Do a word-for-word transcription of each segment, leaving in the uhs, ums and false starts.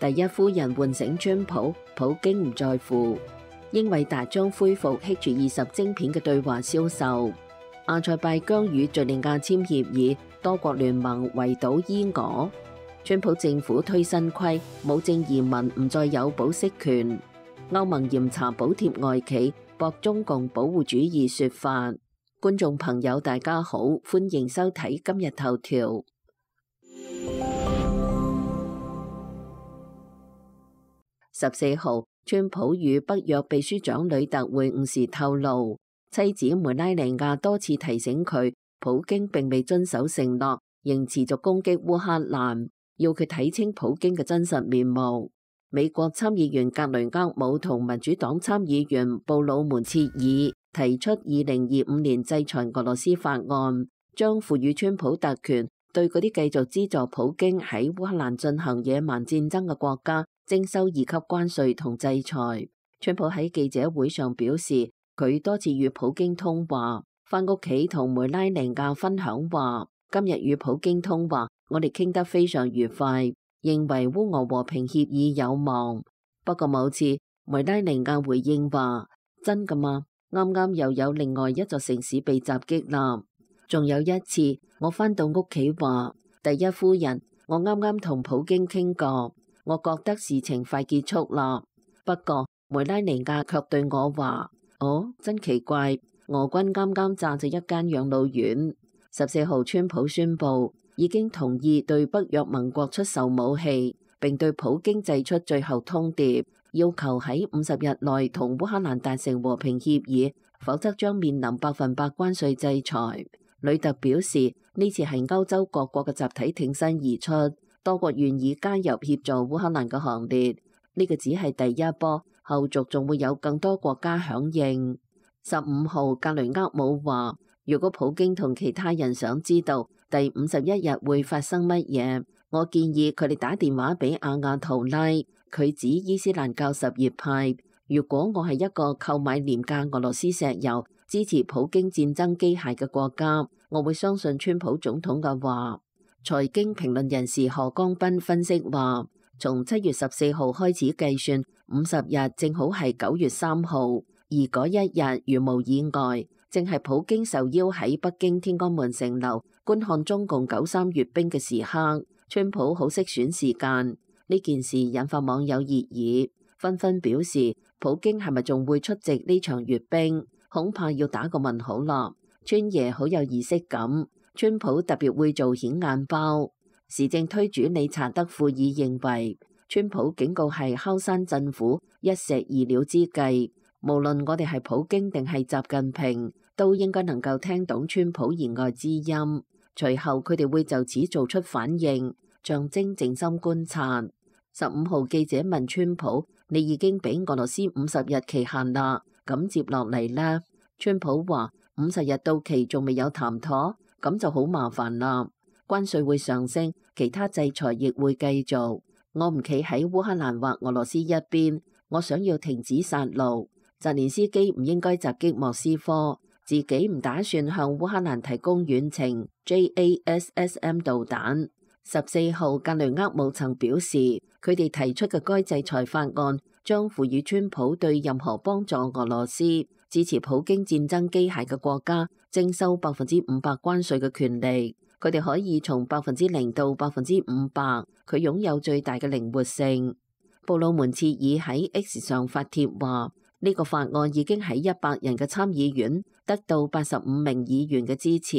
第一夫人喚醒川普，普京唔在乎。英偉達將恢復挹注二十晶片嘅對華銷售。阿塞拜疆與敘利亞簽協議，多國聯盟圍堵伊俄。川普政府推新規，無證移民唔再有保釋權。歐盟嚴查補貼外企，駁中共保護主義說法。觀眾朋友大家好，歡迎收睇今日頭條。十四號，川普與北約秘書長呂特會晤時透露，妻子梅拉尼亞多次提醒佢，普京並未遵守承諾，仍持續攻擊烏克蘭，要佢睇清普京嘅真實面目。美國參議員格雷厄姆同民主黨參議員布魯門切爾提出二零二五年制裁俄羅斯法案，將賦予川普特權，對嗰啲繼續資助普京喺烏克蘭進行野蠻戰爭嘅國家徵收二級關稅同制裁。川普喺記者會上表示，佢多次與普京通話，返屋企同梅拉尼亞分享話，今日與普京通話，我哋傾得非常愉快，認為烏俄和平協議有望。不過某次梅拉尼亞回應話，真㗎嘛？啱啱又有另外一座城市被襲擊啦。仲有一次我返到屋企話，第一夫人，我啱啱同普京傾過，我覺得事情快結束啦。不過梅拉尼亞卻對我話，哦，真奇怪，俄軍啱啱炸咗一間養老院。十四號川普宣布已經同意對北約盟國出售武器，並對普京祭出最後通牒，要求喺五十日內同烏克蘭達成和平協議，否則將面臨百分百關稅制裁。呂特表示，呢次係歐洲各國嘅集體挺身而出，多國願意加入協助烏克蘭嘅行列。呢個只係第一波，後續仲會有更多國家響應。十五號，格雷厄姆話，如果普京同其他人想知道第五十一日會發生乜嘢，我建議佢哋打電話俾阿亞圖拉，佢指伊斯蘭教什葉派。如果我係一個購買廉價俄羅斯石油、支持普京戰爭機械嘅國家，我會相信川普總統嘅話。財經評論人士何江斌分析話，從七月十四號開始計算，五十日正好係九月三號，而嗰一日如無意外，正係普京受邀喺北京天安門城樓觀看中共九三閱兵嘅時刻。川普好識選時間，呢件事引發網友熱議，紛紛表示普京係咪仲會出席呢場閱兵？恐怕要打個問號啦。川爺好有儀式感，川普特別會做顯眼包。時政推主理查德庫爾認為，川普警告係敲山震虎、一石二鳥之計。無論我哋係普京定係習近平，都應該能夠聽懂川普言外之音。隨後佢哋會就此做出反應，象徵靜心觀察。十五號記者問川普：你已經俾俄羅斯五十日期限啦，咁接落嚟呢？川普話：五十日到期仲未有談妥，咁就好麻煩啦。關稅會上升，其他制裁亦會繼續。我唔企喺烏克蘭或俄羅斯一邊，我想要停止殺戮。澤連斯基唔應該襲擊莫斯科，自己唔打算向烏克蘭提供遠程 J A S S M 導彈。十四號，格雷厄姆曾表示，佢哋提出嘅該制裁法案將賦予川普對任何幫助俄羅斯、支持普京戰爭機械嘅國家徵收百分之五百關稅嘅權利。佢哋可以從百分之零到百分之五百，佢擁有最大嘅靈活性。布魯門切爾喺 X 上發帖話，呢個法案已經喺一百人嘅參議院得到八十五名議員嘅支持。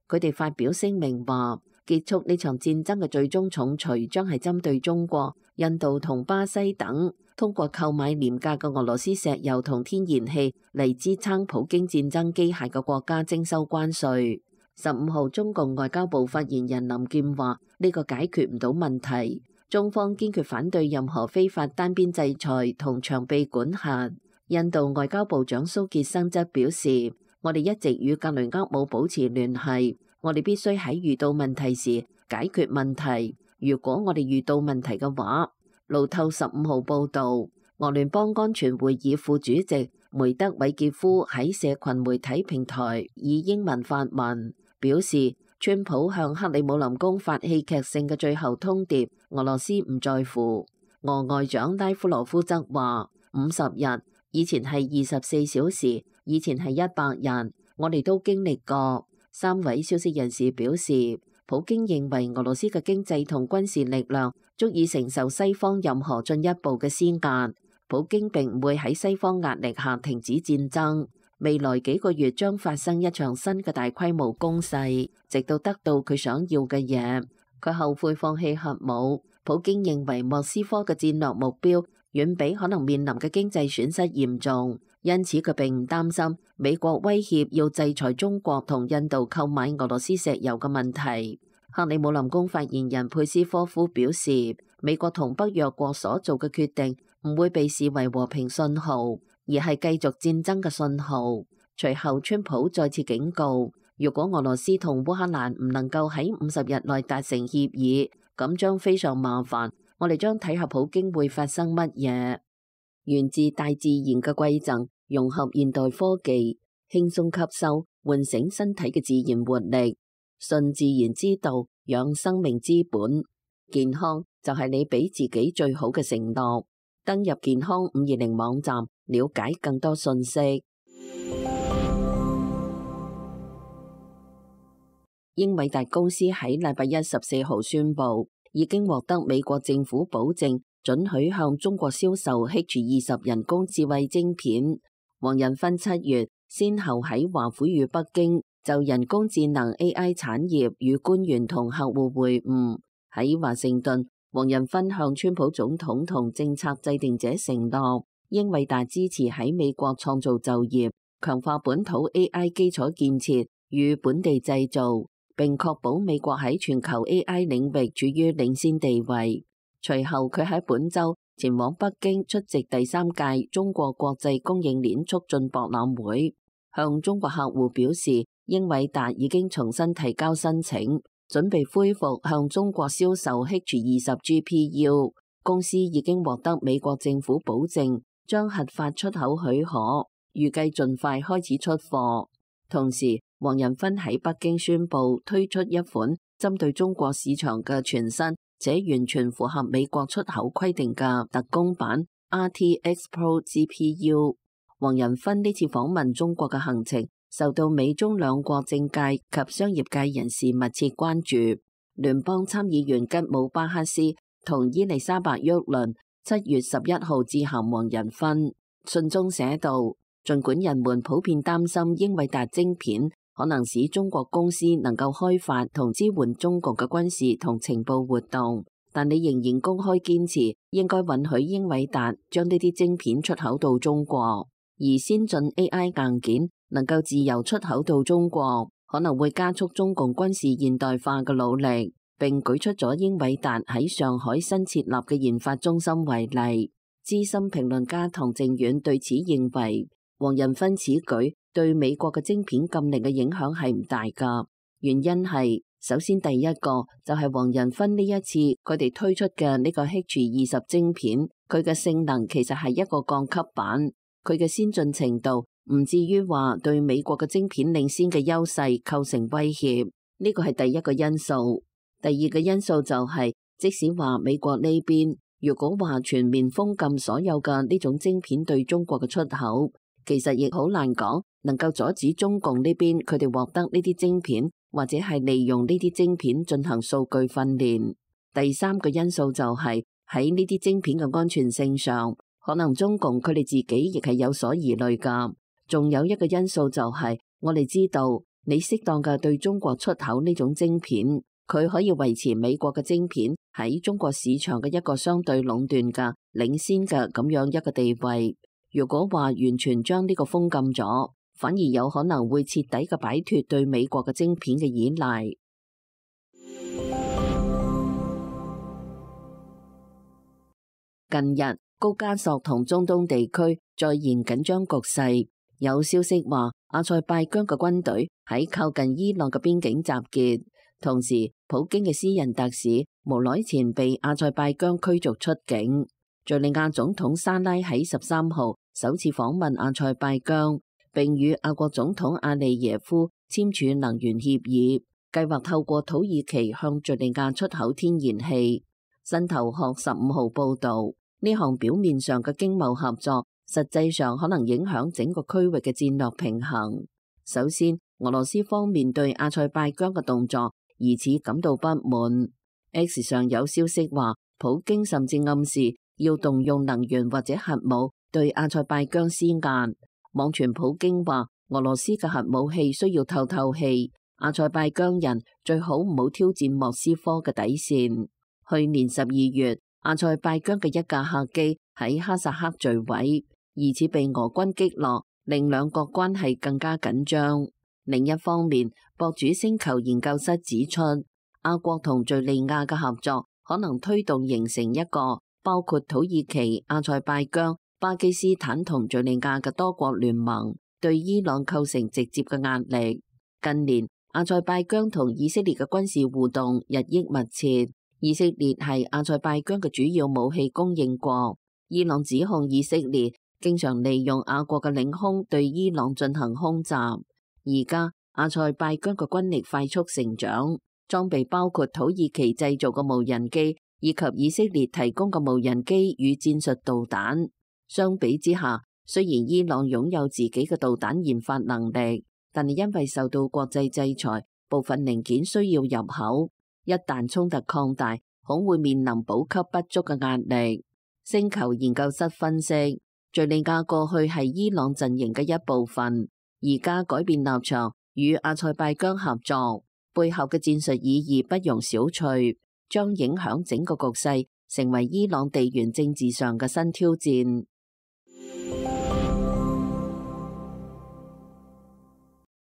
佢哋發表聲明話，結束呢場戰爭嘅最終重錘將係針對中國、印度同巴西等通過購買廉價嘅俄羅斯石油同天然氣嚟支撐普京戰爭機械嘅國家徵收關稅。十五號，中共外交部發言人林劍話：呢個解決唔到問題，中方堅決反對任何非法單邊制裁同長臂管轄。印度外交部長蘇傑生則表示：我哋一直與格雷厄姆保持聯繫，我哋必須喺遇到問題時解決問題。如果我哋遇到問題嘅話，路透十五號報導，俄聯邦安全會議副主席梅德韋傑夫喺社群媒體平台以英文發文，表示川普向克里姆林宮發戲劇性嘅最後通牒，俄羅斯唔在乎。俄外長拉夫羅夫則話：五十日，以前係二十四小時，以前係一百日，我哋都經歷過。三位消息人士表示，普京認為俄羅斯嘅經濟同軍事力量足以承受西方任何進一步嘅施壓。普京並唔會喺西方壓力下停止戰爭。未來幾個月將發生一場新嘅大規模攻勢，直到得到佢想要嘅嘢。佢後悔放棄核武。普京認為莫斯科嘅戰略目標遠比可能面臨嘅經濟損失嚴重，因此佢並唔擔心美國威脅要制裁中國同印度購買俄羅斯石油嘅問題。克里姆林宮發言人佩斯科夫表示，美國同北約國所做嘅決定唔會被視為和平信號，而係繼續戰爭嘅信號。隨後，川普再次警告，如果俄羅斯同烏克蘭唔能夠喺五十日內達成協議，咁將非常麻煩。我哋將睇下普京會發生乜嘢。源自大自然嘅饋贈，融合現代科技，輕鬆吸收，喚醒身體嘅自然活力。順自然之道，養生命之本。健康就係你俾自己最好嘅承諾。登入健康五二零網站，了解更多信息。英偉達公司喺禮拜一十四號宣布，已經獲得美國政府保證，准許向中國銷售 H 二十人工智慧晶片。黃仁勳七月先後喺華府與北京就人工智能 A I 產業與官員同客戶會晤。喺華盛頓，黃仁勳向川普總統同政策制定者承諾，英偉達支持喺美國創造就業，強化本土 A I 基礎建設與本地製造，並確保美國喺全球 A I 領域處於領先地位。隨後，佢喺本週前往北京出席第三屆中國國際供應鏈促進博覽會，向中國客戶表示，英偉達已經重新提交申請，準備恢復向中國銷售 H 二十 G P U。公司已經獲得美國政府保證，將核發出口許可，預計盡快開始出貨。同時，黃仁勳喺北京宣布推出一款針對中國市場嘅全新且完全符合美國出口規定嘅特供版 R T X Pro G P U。黃仁勳呢次訪問中國嘅行程受到美中兩國政界及商業界人士密切關注。聯邦參議員吉姆巴克斯同伊麗莎白沃倫七月十一號致函黃仁勳，信中寫道，儘管人們普遍擔心英偉達晶片可能使中國公司能夠開發同支援中國嘅軍事同情報活動，但你仍然公開堅持應該允許英偉達將呢啲晶片出口到中國，而先進 A I 硬件能夠自由出口到中國，可能會加速中共軍事現代化嘅努力，並舉出咗英偉達喺上海新設立嘅研發中心為例。資深評論家唐靖遠對此認為，黃仁勳此舉對美國嘅晶片禁令嘅影響係唔大㗎，原因係首先第一個就係黃仁勳呢一次佢哋推出嘅呢個 H 二十晶片，佢嘅性能其實係一個降級版，佢嘅先進程度唔至於話對美國嘅晶片領先嘅優勢構成威脅，呢個係第一個因素。第二個因素就係，即使話美國呢邊如果話全面封禁所有嘅呢種晶片對中國嘅出口，其實亦好難講能夠阻止中共呢邊佢哋獲得呢啲晶片，或者係利用呢啲晶片進行數據訓練。第三個因素就係喺呢啲晶片嘅安全性上，可能中共佢哋自己亦係有所疑慮㗎。仲有一個因素就係，我哋知道你適當嘅對中國出口呢種晶片，佢可以維持美國嘅晶片喺中國市場嘅一個相對壟斷嘅領先嘅咁樣一個地位。如果話完全將呢個封禁咗，反而有可能會徹底嘅擺脫對美國嘅晶片嘅依賴。近日，高加索同中東地區再現緊張局勢，有消息話阿塞拜疆嘅軍隊喺靠近伊朗嘅邊境集結，同時普京嘅私人特使無耐前被阿塞拜疆驅逐出境。敘利亞總統沙拉喺十三號首次訪問阿塞拜疆，並與阿國總統阿利耶夫簽署能源協議，計劃透過土耳其向敘利亞出口天然氣。新頭殼十五號報導，呢項表面上嘅經貿合作，實際上可能影響整個區域嘅戰略平衡。首先，俄羅斯方面對阿塞拜疆嘅動作疑似感到不滿。X 上有消息話，普京甚至暗示要動用能源或者核武對阿塞拜疆施壓。網傳普京話，俄羅斯嘅核武器需要透透氣，阿塞拜疆人最好唔好挑戰莫斯科嘅底線。去年十二月，阿塞拜疆嘅一架客機喺哈薩克墜毀，疑似被俄軍擊落，令兩國關係更加緊張。另一方面，博主星球研究室指出，阿國同敘利亞嘅合作可能推動形成一個包括土耳其、阿塞拜疆、巴基斯坦同敘利亞嘅多國聯盟，對伊朗構成直接嘅壓力。近年，阿塞拜疆同以色列嘅軍事互動日益密切。以色列係阿塞拜疆嘅主要武器供應國，伊朗指控以色列經常利用阿國嘅領空對伊朗進行空襲。而家阿塞拜疆嘅軍力快速成長，裝備包括土耳其製造嘅無人機以及以色列提供嘅無人機與戰術導彈。相比之下，雖然伊朗擁有自己嘅導彈研發能力，但係因為受到國際制裁，部分零件需要入口。一旦衝突擴大，恐會面臨補給不足嘅壓力。星球研究室分析，敘利亞過去係伊朗陣營嘅一部分，而家改變立場與阿塞拜疆合作，背後嘅戰術意義不容小覷，將影響整個局勢，成為伊朗地緣政治上嘅新挑戰。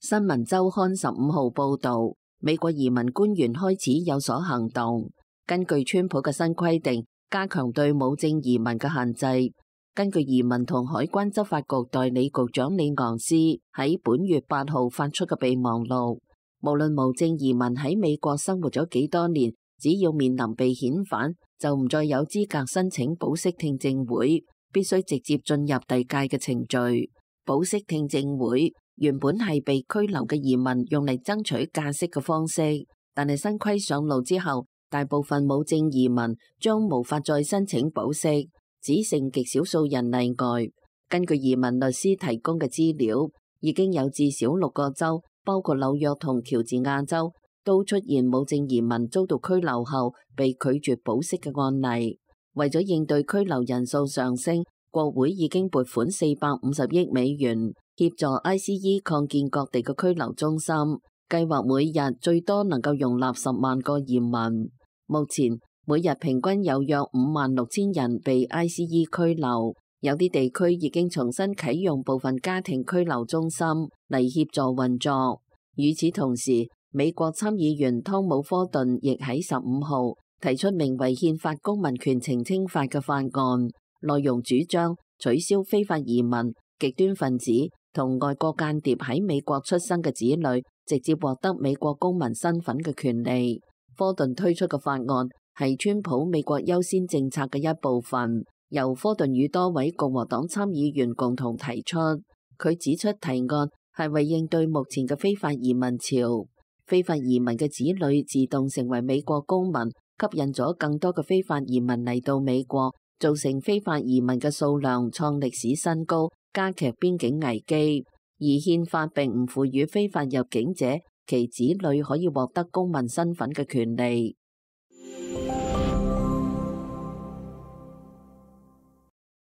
新聞週刊十五號報導，美國移民官員開始有所行動。根據川普嘅新規定，加強對無證移民嘅限制。根據移民同海關執法局代理局長李昂斯喺本月八號發出嘅備忘錄，無論無證移民喺美國生活咗幾多年，只要面臨被遣返，就唔再有資格申請保釋聽證會，必須直接進入遞解嘅程序。保釋聽證會原本係被拘留嘅移民用嚟爭取假釋嘅方式，但係新規上路之後，大部分無證移民將無法再申請保釋，只剩極少數人例外。根據移民律師提供嘅資料，已經有至少六個州，包括紐約同喬治亞州，都出現無證移民遭到拘留後被拒絕保釋嘅案例。為咗應對拘留人數上升，國會已經撥款四百五十億美元協助 I C E 擴建各地嘅拘留中心，計劃每日最多能夠容納十萬個移民。目前每日平均有約五萬六千人被 I C E 拘留，有啲地區已經重新啟用部分家庭拘留中心嚟協助運作。與此同時，美國參議員湯姆科頓亦喺十五號提出名為《憲法公民權澄清法》嘅法案，內容主張取消非法移民、極端分子同外國間諜喺美國出生嘅子女直接獲得美國公民身份嘅權利。科頓推出嘅法案係川普美國優先政策嘅一部分，由科頓與多位共和黨參議員共同提出。佢指出提案係為應對目前嘅非法移民潮，非法移民嘅子女自動成為美國公民，吸引咗更多嘅非法移民嚟到美國，造成非法移民嘅數量創歷史新高，加劇邊境危機。而憲法並唔賦予非法入境者其子女可以獲得公民身份嘅權利。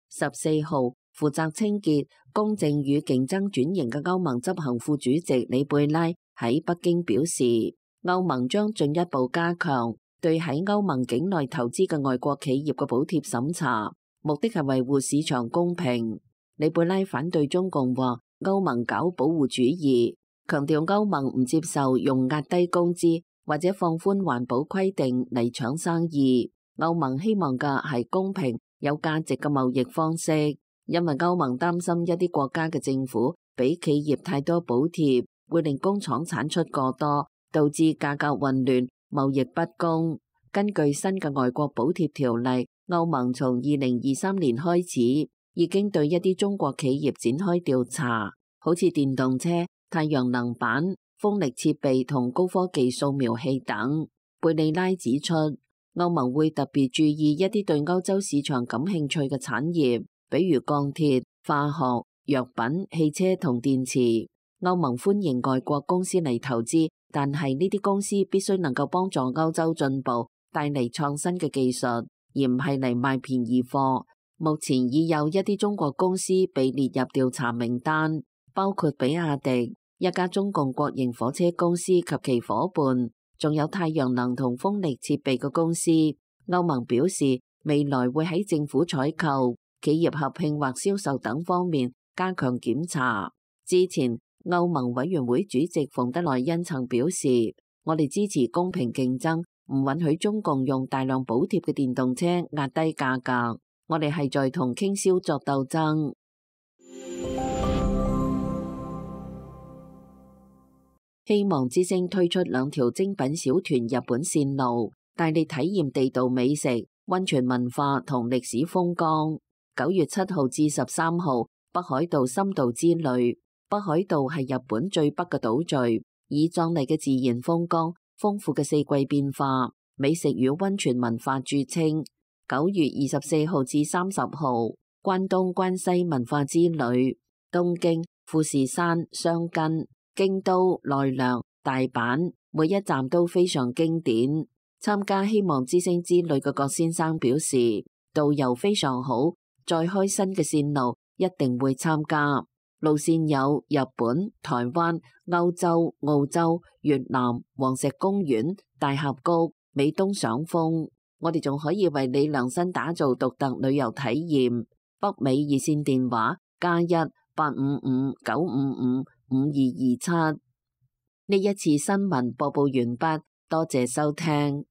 十四號，負責清潔、公正與競爭轉型嘅歐盟執行副主席里貝拉喺北京表示，歐盟將進一步加強對喺歐盟境內投資嘅外國企業嘅補貼審查，目的係維護市場公平。里貝拉反對中共話歐盟搞保護主義，強調歐盟唔接受用壓低工資或者放寬環保規定嚟搶生意。歐盟希望嘅係公平有價值嘅貿易方式，因為歐盟擔心一啲國家嘅政府俾企業太多補貼，會令工廠產出過多，導致價格混亂、貿易不公。根據新嘅外國補貼條例，歐盟從二零二三年開始已經對一啲中國企業展開調查，好似電動車、太陽能板、風力設備同高科技掃描器等。貝利拉指出，歐盟會特別注意一啲對歐洲市場感興趣嘅產業，比如鋼鐵、化學、藥品、汽車同電池。歐盟歡迎外國公司嚟投資，但係呢啲公司必須能夠幫助歐洲進步，帶嚟創新嘅技術，而唔係嚟賣便宜貨。目前已有一啲中國公司被列入調查名單，包括比亞迪、一家中共國營火車公司及其夥伴，仲有太陽能同風力設備嘅公司。歐盟表示，未來會喺政府採購、企業合併或銷售等方面加強檢查。之前，歐盟委員會主席馮德萊恩曾表示，我哋支持公平競爭，唔允許中共用大量補貼嘅電動車壓低價格。我哋係在同傾銷作鬥爭。希望之星推出兩條精品小團日本線路，帶你體驗地道美食、溫泉文化同歷史風光。九月七號至十三號，北海道深度之旅。北海道係日本最北嘅島嶼，以壯麗嘅自然風光、豐富嘅四季變化、美食與溫泉文化著稱。九月二十四號至三十號，關東關西文化之旅，東京、富士山、箱根、京都、奈良、大阪，每一站都非常經典。參加希望之星之旅嘅郭先生表示，導遊非常好，再開新嘅線路一定會參加。路線有日本、台灣、歐洲、澳洲、越南、黃石公園、大峽谷、美東賞楓。我哋仲可以為你量身打造獨特旅遊體驗。北美熱線電話加一八五五九五五五二二七。呢一次新聞播報完畢，多謝收聽。